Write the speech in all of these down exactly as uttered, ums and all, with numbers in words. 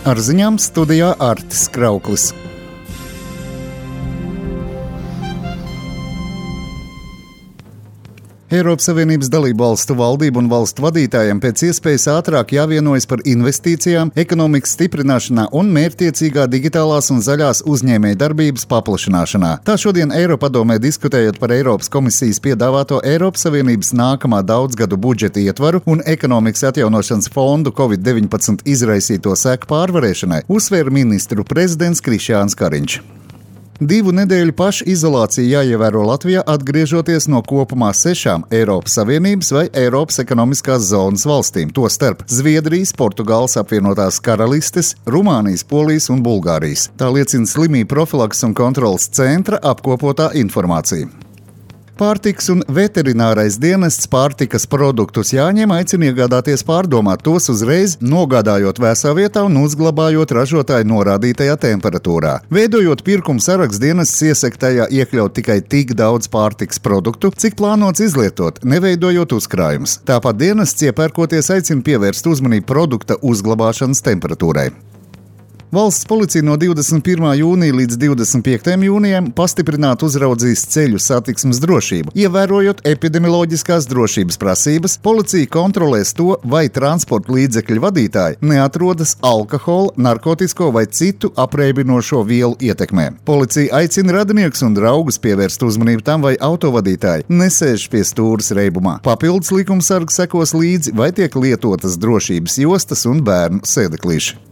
Ar ziņām studijā Artis Krauklis. Eiropas Savienības dalību valstu valdību un valstu vadītājiem pēc iespējas ātrāk jāvienojas par investīcijām, ekonomikas stiprināšanā un mērķtiecīgā digitālās un zaļās uzņēmējdarbības paplašināšanā. Tā šodien Eiropadomē diskutējot par Eiropas komisijas piedāvāto Eiropas Savienības nākamā daudzgadu budžeta ietvaru un ekonomikas atjaunošanas fondu covid deviņpadsmit izraisīto seku pārvarēšanai, uzsvēra ministru prezidents Krišjāns Kariņš. Divu nedēļu pašizolāciju jāievēro Latvijā, atgriežoties no kopumā sešām Eiropas Savienības vai Eiropas ekonomiskās zonas valstīm, tostarp Zviedrijas, Portugāles apvienotās karalistes, Rumānijas, Polijas un Bulgārijas. Tā liecina slimību profilakses un kontrolas centra apkopotā informācija. Pārtikas un veterinārais dienests pārtikas produktus jāņem aicina iegādāties pārdomāt tos uzreiz, nogādājot vēsā vietā un uzglabājot ražotāju norādītajā temperatūrā. Veidojot pirkuma sarakstu, dienests iesaka tajā iekļaut tikai tik daudz pārtikas produktu, cik plānots izlietot, neveidojot uzkrājumus. Tāpat dienests iepērkoties aicina pievērst uzmanību produkta uzglabāšanas temperatūrai. Valsts policija no divdesmit pirmā jūnija līdz divdesmit piektajam jūnijam pastiprināti uzraudzīs ceļu satiksmes drošību. Ievērojot epidemioloģiskās drošības prasības, policija kontrolēs to, vai transporta līdzekļu vadītāji neatrodas alkohola, narkotisko vai citu apreibinošo vielu ietekmē. Policija aicina radiniekus un draugus pievērst uzmanību tam, vai autovadītāji nesēž pie stūres reibumā. Papildus likumsargi sekos līdzi, vai tiek lietotas drošības jostas un bērnu sēdeklīši.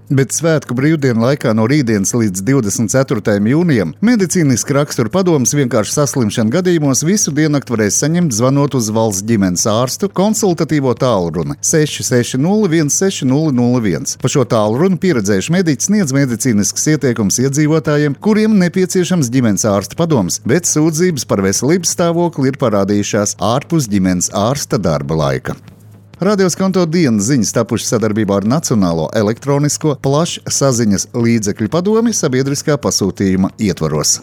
Bet svētku brīvdienu laikā no rītdienas līdz divdesmit ceturtajam jūnijam medicīniski rakstura padomas vienkārši saslimšana gadījumos visu diennakti varēs saņemt zvanot uz valsts ģimenes ārstu konsultatīvo tālruni seši seši nulle viens seši nulle nulle viens. Pa šo tālruni pieredzējuši mediķi sniedz medicīniskas ieteikumus iedzīvotājiem, kuriem nepieciešams ģimenes ārsta padoms, bet sūdzības par veselības stāvokli ir parādījušās ārpus ģimenes ārsta darba laika. Radio Skonto dienas ziņas tapušas sadarbībā ar Nacionālo elektronisko plašsaziņas līdzekļu padomi sabiedriskā pasūtījuma ietvaros.